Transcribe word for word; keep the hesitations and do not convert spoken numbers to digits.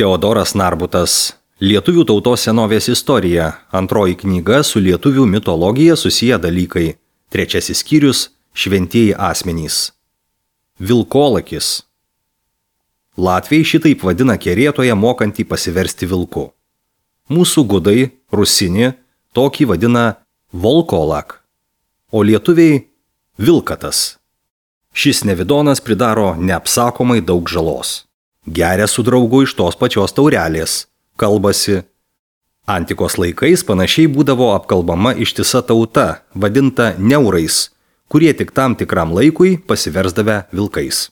Teodoras Narbutas. Lietuvių tautos senovės istorija. Antroji knyga su lietuvių mitologija susiję dalykai. Trečiasis skyrius – šventieji asmenys. Vilkolakis. Latviai šitaip vadina kerėtoje mokantį pasiversti vilku. Mūsų gudai, rusinį, tokį vadina volkolak, o lietuviai – vilkatas. Šis nevidonas pridaro neapsakomai daug žalos. Geria su draugu iš tos pačios taurelės, kalbasi. Antikos laikais panašiai būdavo apkalbama ištisa tauta, vadinta neurais, kurie tik tam tikram laikui pasiversdavę vilkais.